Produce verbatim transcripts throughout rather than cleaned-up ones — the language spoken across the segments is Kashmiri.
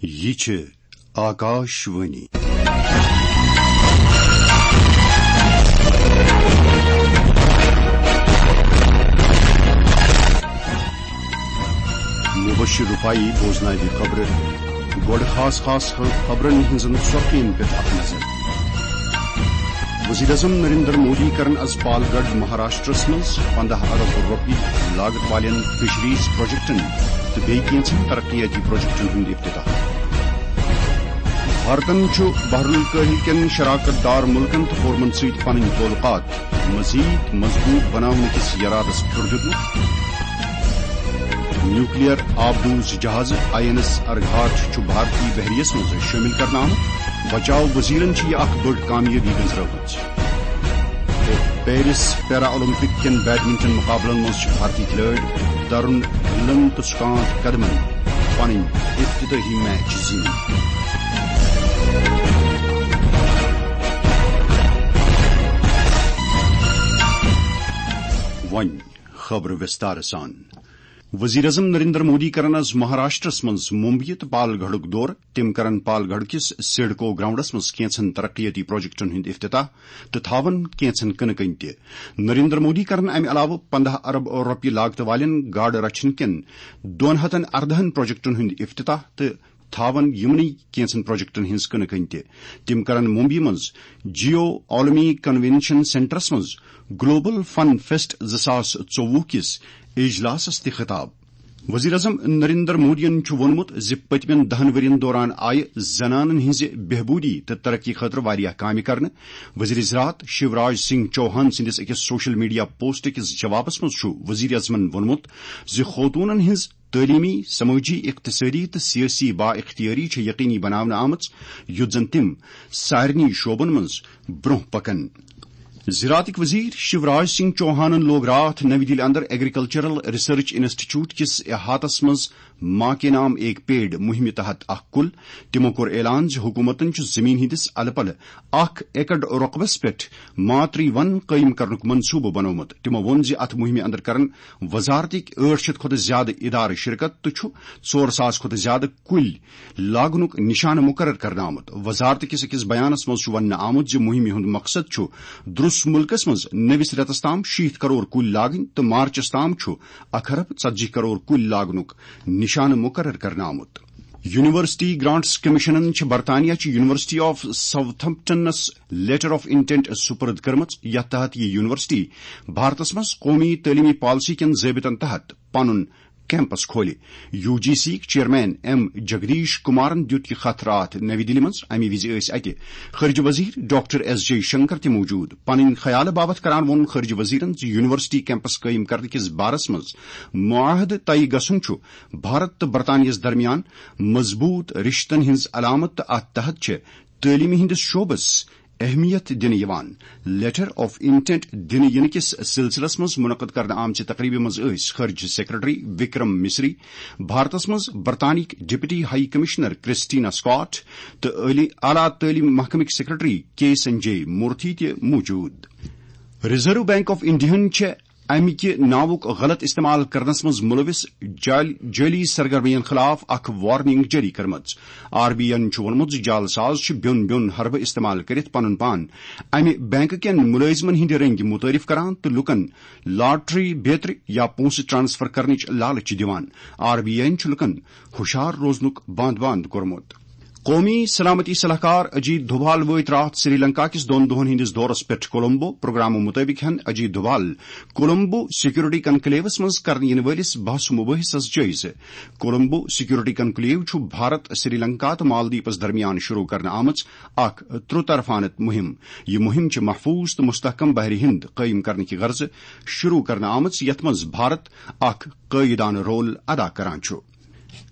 یہِ چھِ آکاش وانی۔ مبشر رفاعی بوزناوِ خبرٕ۔ گۄڈٕ خاص خاص خبرن ہٕنٛزن سۄرخین پٮ۪ٹھ اکھ نظر۔ وزیر اعظم نریندر مودی کرن از پال گڑھ مہاراشٹرس منٛز پندہ ارب رۄپیہِ لاگت والٮ۪ن فشریز پروجیکٹن تہٕ بیٚیہِ کینٛژن ترقیاتی پروجیکٹن ہُنٛد افتتاح۔ بھارتن چھُ بحر الکاہل کٮ۪ن شراکت دار مُلکن تہٕ فورمن سۭتۍ پنٕنۍ تعلقات مزید مضبوط بناونہٕ کِس یرادس پھیُر دیُتمُت۔ نیوکلیئر آبدوز جہاز آئی این ایس ارگھاٹ چھُ بھارتی بحریہ یس منٛز شٲمِل کرنہٕ آمُت۔ بچاو وزیرن چھِ یہِ اکھ بٔڑ کامیٲبی گٔنٛزرٲومٕژ۔ تہٕ پیرس پیرا اولمپک کٮ۪ن بیڈمنٹن مقابلن منٛز چھِ بھارتی کھلٲڑۍ ترون ڈھلن تہٕ سکانت قدمن پنٕنۍ افتتاحی میچ زیٖنۍ۔ وۄنۍ خبرٕ وِستارٕ سان۔ وزیر اعظم نریندر مودی کرن از مہاراشٹرس منٛز ممبیہِ تہٕ پال گڑھُک دورٕ۔ تِم کرن پال گڑھ کِس سیڈکو گراؤنڈس منٛز کینٛژن ترقیتی پروجیکٹن ہُنٛد افتتاح تہٕ تھاون کینٛژن کٕنہٕ کٔنۍ تہِ۔ نریندر مودی کرن امہِ علاوٕ پندہ ارب رۄپیہِ لاگتہٕ والٮ۪ن گاڈٕ رچھن کٮ۪ن دۄن ہتن اردہن پروجیکٹن ہُنٛد افتتاح تہٕ تھاون یِمنٕے کینٛژن پروجیکٹن ہٕنٛز کٕنہٕ کٔنۍ تہِ۔ تِم کرن ممبیہِ منٛز جیو عالمی کنونشن سینٹرس منٛز گلوبل فن فیسٹ زٕ ساس ژوٚوُہ کِس اجلاسس تہِ خطاب۔ وزیر اعظم نریندر مودیَن چھُ ووٚنمُت زِ پٔتمٮ۪ن دَہَن ؤرین دوران آیہِ زنانن ہٕنٛزِ بہبوٗدی تہٕ ترقی خٲطرٕ واریاہ کامہِ کرنہٕ۔ وزیر زراعت شیوراج سنگھ چوہان سٕنٛدِس أکِس سوشل میڈیا پوسٹ کِس جوابس منٛز چھُ وزیر اعظمَن ووٚنمُت زِ خوتوٗنن ہٕنٛز تعلیمی، سمٲجی، اقتصٲدی تہٕ سیٲسی با اختیٲری چھےٚ یقینی بناونہٕ آمٕژ، یُتھ زن تِم سارنٕے شعبن منٛز برٛونٛہہ پکن۔ زراعتٕکۍ وزیر شیوراج سنگھ چوہانن لوگ راتھ نَوِ دِلہِ اندر ایگریکلچرل ریسرچ انسٹیٹیوٹ کِس احاطس منٛز ماں کے نام ایک پیڑ مُہِمہِ تحت اکھ کُل۔ تِمو کوٚر اعلان زِ حکوٗمتن چھُ زٔمیٖن ہٕنٛدِس الہٕ پلہٕ اکھ ایکڑ رۄقبس پٮ۪ٹھ ماتری ون قٲیِم کرنُک منصوٗبہٕ بنوومُت۔ تِمو ووٚن زِ اتھ مُہِمہِ اندر کرن وزارتٕکۍ ٲٹھ شیٚتھ کھۄتہٕ زیادٕ ادارٕ شرکت تہٕ چھُ ژور ساس کھۄتہٕ زیادٕ کُلۍ لاگنُک نشانہٕ مُقرر کرنہٕ آمُت۔ وزارت کِس أکِس بیانس منٛز چھُ وننہٕ آمُت زِ مُہِمہِ ہُنٛد مقصد چھُ درُس مُلکس منٛز نٔوِس رٮ۪تس تام شیٖتھ کرور کُلۍ لاگٕنۍ تہٕ مارچس تام چھُ اکھ ارب ژتجی کرور کُلۍ لاگنُک نشانہٕ مُقرر کرنہٕ آمُت۔ یونیورسٹی گرانٹس کمیشنن چھِ برطانیہ چہِ یونیورسٹی آف ساؤتھمپٹنس لیٹر آف انٹینٹ سپرد کٔرمٕژ، یتھ تحت یہِ یونیورسٹی بھارتس منٛز قومی تعلیمی پالیسی کٮ۪ن ضٲبطن تحت پنُن کیمپس کھولہِ۔ یو جی سی یِک چیئرمین ایم جگدیش کمارن دیُت یہِ خط راتھ نَوِ دِلہِ منٛز۔ اَمہِ وِزِ ٲسۍ اَتہِ خارجہ وزیر ڈاکٹر ایس جے شنکر تہِ موجود۔ پنٕنۍ خیالہٕ باپتھ کران ووٚن خارجہ وزیرن زِ یونیورسٹی کیمپس قٲیِم کرنہٕ کِس بارس منٛز معاہدٕ طے گژھُن چھُ بھارت تہٕ برطانیہس درمیان مضبوط رشتن ہٕنٛز علامت تہٕ اتھ تحت چھِ تعلیمہِ ہٕنٛدِس شعبس اہمیت دِنہٕ یِوان۔ لیٹر آف انٹینٹ دِنہٕ یِنہٕ کِس سلسلس منٛز منعقد کرنہٕ آمژِ تقریبہِ منٛز ٲسۍ خارجہ سیکرٹری وکرم مصری، بھارتس منٛز برطانیہٕکۍ deputy high commissioner Christina Scott تہٕ اعلی، اعلیٰ تعلیٖم محکمٕکۍ سیکرٹری کے سنجے مورتھی تہِ موجود۔ ریزرو بینک آف انڈیاہن چھےٚ امہِ کہِ ناوُک غلط استعمال کرنس منٛز ملوث جعل-، جعلی سرگرمین خلاف اکھ وارننگ جٲری کٔرمٕژ۔ آر بی آئی یَن چھُ ووٚنمُت زِ جعل ساز چھِ بیوٚن بیوٚن حربہٕ استعمال کٔرِتھ پنُن پان امہِ بینک کٮ۪ن مُلٲزمن ہٕنٛدِ رٔنگۍ مُتعارف کران تہٕ لوٗکن لاٹری بیترِ یا پونٛسہٕ ٹرانسفر کرنٕچ لالچ دِوان۔ آر بی آئی یَن چھُ لوٗکن ہُشار روزنُک باند باند کوٚرمُت۔ قومی سلامتی صلاح کار اجیت دوبھال وٲتۍ راتھ سری لنکا کِس دۄن دۄہن ہٕنٛدِس دورس پٮ۪ٹھ کولمبو۔ پروگرامہٕ مُطٲبِق ہٮ۪ن اجیت دوبھال کولمبو سیکورٹی کنکلیوس منٛز کرنہٕ یِنہٕ وٲلِس بحث و مباحثس جٲیزٕ۔ کولمبو سیکورٹی کنکلیو چھُ بھارت، سری لنکا تہٕ مالدیپس درمیان شروع کرنہٕ آمٕژ اکھ ترٛوطرفانہٕ مُہِم۔ یہِ مُہِم چھِ محفوظ تہٕ مستحکم بحر ہند قٲیِم کرنہٕ کہِ غرضہٕ شروع کرنہٕ آمٕژ، یتھ منٛز بھارت اکھ قٲیدانہٕ رول ادا کران چھُ۔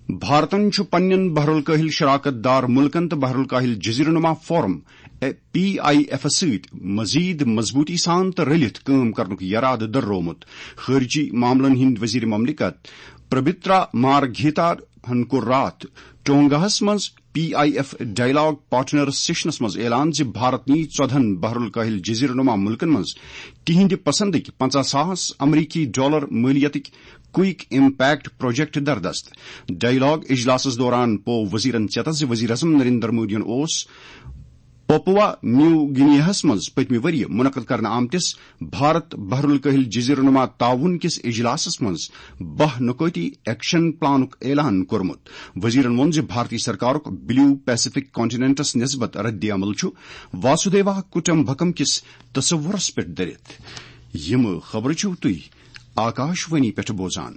بھارتن چھُ پننٮ۪ن بحر الکاہل شراکت دار ملکن تہٕ بحر الکاہل جزیرٕ نما فورم، اے، پی آئی ایفس سۭتۍ مزید مضبوطی سان تہٕ رلِتھ کٲم کرنُک یرادٕ دٔررومُت۔ خارجی معاملن ہٕنٛدۍ وزیر مملکت پربترا مارگھیتا ہن کوٚر راتھ ٹونگاہس منٛز P I F dialogue partners سیشنس منٛز اعلان زِ بھارت نی ژۄدہن بحر الکاہل جزیرٕ نما ملکن منٛز تِہنٛدِ پسندٕکۍ پنژاہ ساس امریکی ڈالر مٲلیتٕکۍ کوئک امپیکٹ پروجیکٹ دردست۔ ڈائیلاگ اجلاسس دوران پوو وزیرن چیتس زِ وزیر اعظم نریندر مودیَن اوس پوپوا نیو گنیاہس منٛز پٔتمہِ ؤرۍ یہِ منعقد کرنہٕ آمتِس بھارت بحر الکاہل جزیرٕ نما تعاون کِس اجلاسس منٛز باہ نکٲتی ایکشن پلانُک اعلان کوٚرمُت۔ وزیرن ووٚن زِ بھارتی سرکارُک بلیو پیسفک کانٹیننٹس نسبت رد عمل چھُ واسودیوا کٹمبکم کِس تصورس پٮ۪ٹھ دٔرِتھ۔ یِم خبرٕ چھِو تُہۍ آکاش وانی پٮ۪ٹھ بوزان۔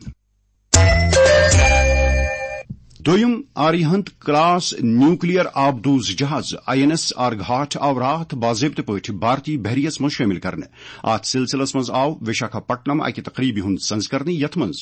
دوٚیُم آریہنت کلاس نیوکلیئر آبدوز جہاز آئی این ایس آرگھاٹ آو راتھ باضٲبطہٕ پٲٹھۍ بھارتی بحریَس منٛز شٲمِل کرنہٕ۔ اتھ سلسلس منٛز آو وشاکھاپٹنم اکہِ تقریبہِ ہُنٛد سنز کرنہٕ، یتھ منٛز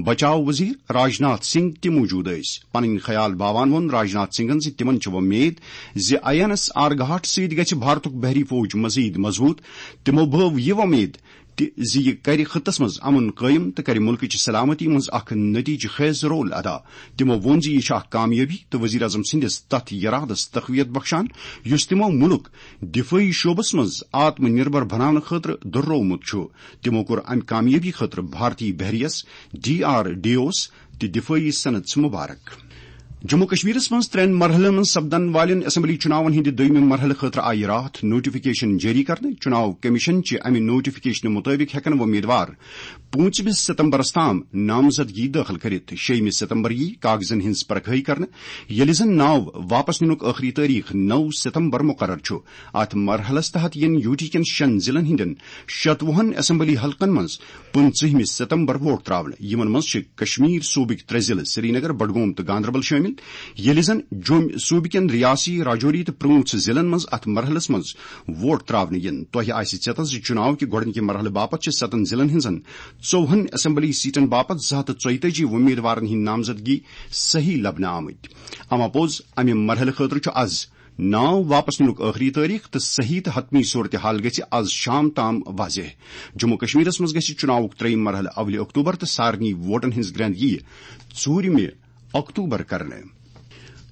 بچاو وزیر راجناتھ سنگھ تہِ موجود ٲسۍ۔ پنٕنۍ خیال باوان ووٚن راجناتھ سنگھن زِ تِمن چھِ وۄمید زِ آئی این ایس آرگھاٹ سۭتۍ گژھِ بھارتُک بحری فوج مزید مضبوط۔ تِمو بٲو یہِ وۄمید تہِ زِ یہِ کرِ خطس منٛز امن قٲیِم تہٕ کرِ ملکٕچ سلامتی منٛز اکھ نتیجہٕ خیز رول ادا۔ تِمو ووٚن زِ یہِ چھِ اکھ کامیٲبی تہٕ وزیر اعظم سٕنٛدِس تتھ یرادس تقویت بخشان، یُس تِمو مُلک دفٲعی شعبس منٛز آتم نربھر بناونہٕ خٲطرٕ دۄہرومُت چھُ۔ تِمو کوٚر امہِ کامیٲبی خٲطرٕ بھارتی بحریس، ڈی آر ڈی اوس تہٕ دفٲعی صنعتس مبارک۔ جموں کشمیرس منٛز ترٛٮ۪ن مرحلن منٛز سپدن والٮ۪ن اسمبلی چُناون ہٕنٛدِ دوٚیمہِ مرحلہٕ خٲطرٕ آیہِ راتھ نوٹیفکیشن جٲری کرنہٕ۔ چُناو کمیشن چہِ امہِ نوٹیفکیشنہٕ مُطٲبِق ہٮ۪کن وۄمیدوار پوٗنٛژمہِ ستمبرس تام نامزدگی دٲخل کٔرِتھ۔ شیٚیمہِ ستمبر یِیہِ کاغذن ہٕنٛز پرکھٲے کرنہٕ، ییٚلہِ زن ناو واپس نِنُک ٲخری تٲریخ نو ستمبر مقرر چھُ۔ اتھ مرحلس تحت یِن یوٗ ٹی کٮ۪ن شٮ۪ن ضلعن ہٕنٛدٮ۪ن شتوُہن اسمبلی حلقن منٛز پٕنٛژٕہمہِ ستمبر ووٹ ترٛاونہٕ۔ یِمن منٛز چھِ کشمیر صوبٕکۍ ترٛےٚ ضلعہٕ سرینگر، بڈگوم تہٕ گاندربل شٲمِل، ییٚلہِ زن جوٚمۍ صوبہٕ کٮ۪ن ریاسی، راجوری تہٕ پرٛوٗنٛژھ ضلعن منٛز اتھ مرحلس منٛز ووٹ ترٛاونہٕ یِن۔ تۄہہِ آسہِ ژیتس زِ چُناو کہِ گۄڈٕنِکہِ مرحلہٕ باپتھ چھِ ستن ضلعن ہٕنٛزن ژوٚوُہن اسمبلی سیٹن باپتھ زٕ ہتھ تہٕ ژۄیتٲجی وۄمیدوارن ہٕنٛدۍ نامزدگی صحیح لبنہٕ آمٕتۍ۔ اما پوٚز، امہِ مرحلہٕ خٲطرٕ چھُ از ناو واپس نِنُک ٲخری تٲریخ تہٕ صحیح تہٕ حتمی صورتحال گژھِ از شام تام واضح۔ جموں کشمیرس منٛز گژھِ چُناوُک ترٛیٚیِم مرحلہٕ اولہِ اکتوبر تہٕ سارنٕے ووٹن ہٕنٛز گرٛنٛد یِیہِ ژوٗرِمہِ اکتوبر کرنہٕ۔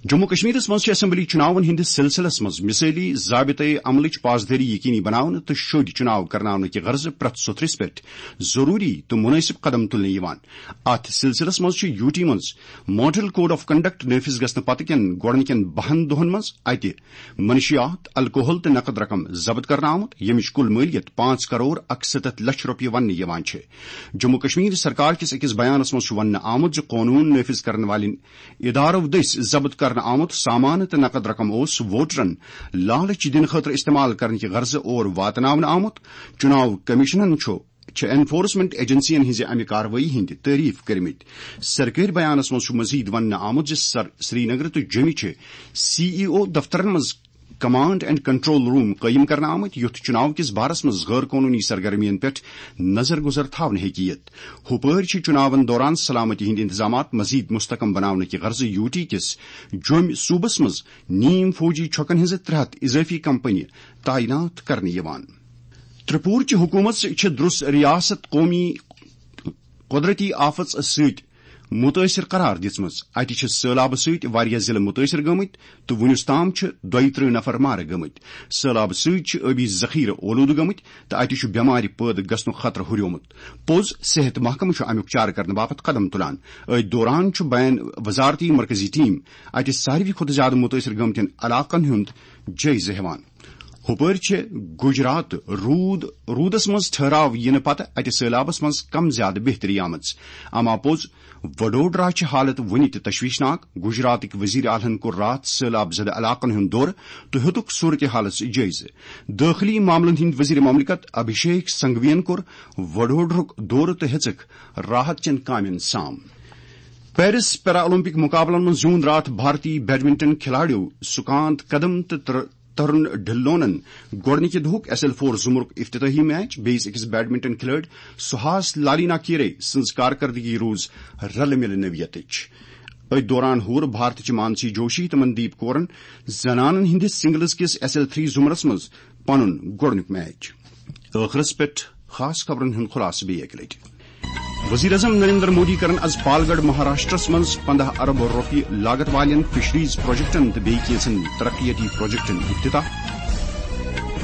جموں کشمیرس منٛز چھِ اسمبلی چُناون ہٕنٛدِس سلسلس منٛز مثٲلی ضابطے عملٕچ پاسدٲری یقینی بناونہٕ تہٕ شوٚدۍ چُناو کرناونہٕ کہِ غرضہٕ پرٛٮ۪تھ سُتھرِس پٮ۪ٹھ ضروٗری تہٕ مُنٲسِب قدم تُلنہٕ یِوان۔ اتھ سلسلس منٛز چھُ یوٗ ٹی منٛز ماڈل کوڈ آف کنڈکٹ نافذ گژھنہٕ پتہٕ کٮ۪ن گۄڈٕنِکٮ۪ن بَہَن دۄہَن منٛز اتہِ منشیات، الکوہل تہٕ نقد رقم ضبط کرنہٕ آمُت، ییٚمِچ کُل مٲلیت پانٛژھ کرور اکستتھ لچھ رۄپیہِ وننہٕ یِوان چھِ۔ جموں کشمیر سرکار کِس أکِس بیانس منٛز چھُ وننہٕ آمُت زِ قونوٗن نافذ کرن والٮ۪ن ادارو دٔسۍ ضبط کرنہٕ آمُت سامان تہٕ نقد رقم اوس ووٹرن لالچ دِنہٕ خٲطرٕ استعمال کرنہٕ کہِ غرضہٕ اور واتناونہٕ آمُت۔ چُناو کمیشنن چھُ چھِ انفورسمنٹ ایجنسین ہٕنٛزِ امہِ کاروٲیی ہٕنٛدۍ تعریف کٔرمٕتۍ۔ سرکٲرۍ بیانس منٛز چھُ مزید وننہٕ آمُت زِ سر-، سرینگر تہٕ جوٚمہِ چھِ سی ای او دفترن منٛز کمانڈ اینڈ کنٹرول روم قٲیِم کرنہٕ آمٕتۍ، یُتھ چُناو کِس بارس منٛز غٲر قونوٗنی سرگرمیَن پٮ۪ٹھ نظر گُزر تھاونہٕ ہیٚکہِ یِتھ۔ ہُپٲرۍ چھِ چُناون دوران سلامتی ہٕنٛدۍ انتظامات مزید مستحکم بناونہٕ کہِ غرضہٕ یوٗ ٹی کِس جوٚمہِ صوبس منٛز نیم فوجی چھۄکن ہٕنٛزٕ ترٛےٚ ہتھ اضٲفی کمپنی تعینات کرنہٕ یِوان۔ ترٛپوٗرچہِ حکوٗمت چھِ درُس ریاست قومی قۄدرٔتی آفژ سۭتۍ مُتٲثِر قرار دِژمٕژ۔ اَتہِ چھِ سٔہلابہٕ سۭتۍ واریاہ ضِلعہٕ مُتٲثِر گٔمٕتۍ تہٕ وُنیُس تام چھِ دۄیہِ ترٕٛہ نفر مارٕ گٔمٕتۍ۔ سٔہلابہٕ سۭتۍ چھِ ٲبی ذخیرٕ اولوٗدٕ گٔمٕتۍ تہٕ اَتہِ چھُ بٮ۪مارِ پٲدٕ گژھنُک خطرٕ ہُریومُت۔ پوٚز، صحت محکمہٕ چھُ اَمیُک چارٕ کرنہٕ باپتھ قدم تُلان۔ أتھۍ دوران چھُ بین وزارتی مرکزی ٹیم اَتہِ ساروی کھۄتہٕ زیادٕ مُتٲثِر گٔمتٮ۪ن علاقن ہُنٛد جٲیزٕ ہٮ۪وان۔ ہُپٲرۍ چھِ گجرات روٗد، روٗدس منٛز ٹھہراو یِنہٕ پتہٕ اَتہِ سٔہلابس منٛز کم زیادٕ بہتری آمٕژ۔ اما پوٚز، وڈودرا چھِ حالت وُنہِ تہِ تشویشناک۔ گجراتٕکۍ وزیر اعلیٰ ہن کوٚر راتھ سٔہلاب زدٕ علاقن ہُنٛد دورٕ تہٕ ہیوٚتُکھ صورتحالس جٲیزٕ۔ دٲخلی معاملن ہٕنٛدۍ وزیر مملکت ابھیشیک سنگھوین کوٚر وڈودرُک دورٕ تہٕ ہیٚژٕکھ راحت چٮ۪ن کامٮ۪ن سام۔ پیرس پیرا اولمپک مقابلن منٛز زیوٗن راتھ بھارتی بیڈمنٹن کھلاڑیو سکانت قدم تہٕ تر-، ترُن ڈھلونن گۄڈٕنِکہِ دۄہُک ایس ایل فور زمرُک افتتاحی میچ۔ بیٚیِس أکِس بیڈمنٹن کھلٲڑۍ سہاس لالینا کیرے سٕنٛز کارکردگی روٗز رلہٕ مِلہٕ نوعیتٕچ۔ أتھۍ دوران ہور بھارتٕچہِ مانسی جوشی تہٕ مندیپ کورن زنانن ہٕنٛدِس سنگلز کِس ایس ایل تھری زمرس منٛز پنُن گۄڈٕنیُک میچ۔ ٲخرس پٮ۪ٹھ خاص خبرن ہُنٛد خلاصہٕ بیٚیہِ اَکہِ لٹہِ۔ وزیر اعظم نریندر مودی کرن از پالگڑھ مہاراشٹرس منٛز پندہ ارب رۄپیہِ لاگت والٮ۪ن فشریز پروجیکٹن تہٕ بیٚیہِ کینٛژن ترقیتی پروجیکٹن افتتاح۔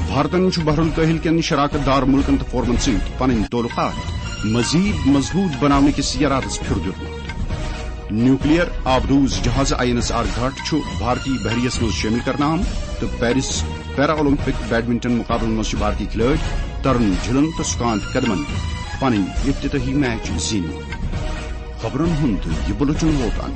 بھارتن چھُ بحر الکاہل کٮ۪ن شراکت دار ملکن تہٕ فورمن سۭتۍ پنٕنۍ تعلقات مزید مضبوط بناونہٕ کِس یرادس پھیُر دیُتمُت۔ نیوکلیئر آبدوز جہاز آئی این ایس آر گھاٹ چھُ بھارتی بحریہ یس منٛز شٲمِل کرنہٕ آمُت تہٕ پیرس پیرا اولمپک بیڈمنٹن مقابلن منٛز چھِ بھارتی کھلٲڑۍ ترن جھلن تہٕ سکانت قدمن پنٕنۍ افتتاحی میچ زیٖنمٕتۍ۔ خبرن ہُنٛد یہِ بُلٹن ووت اَن۔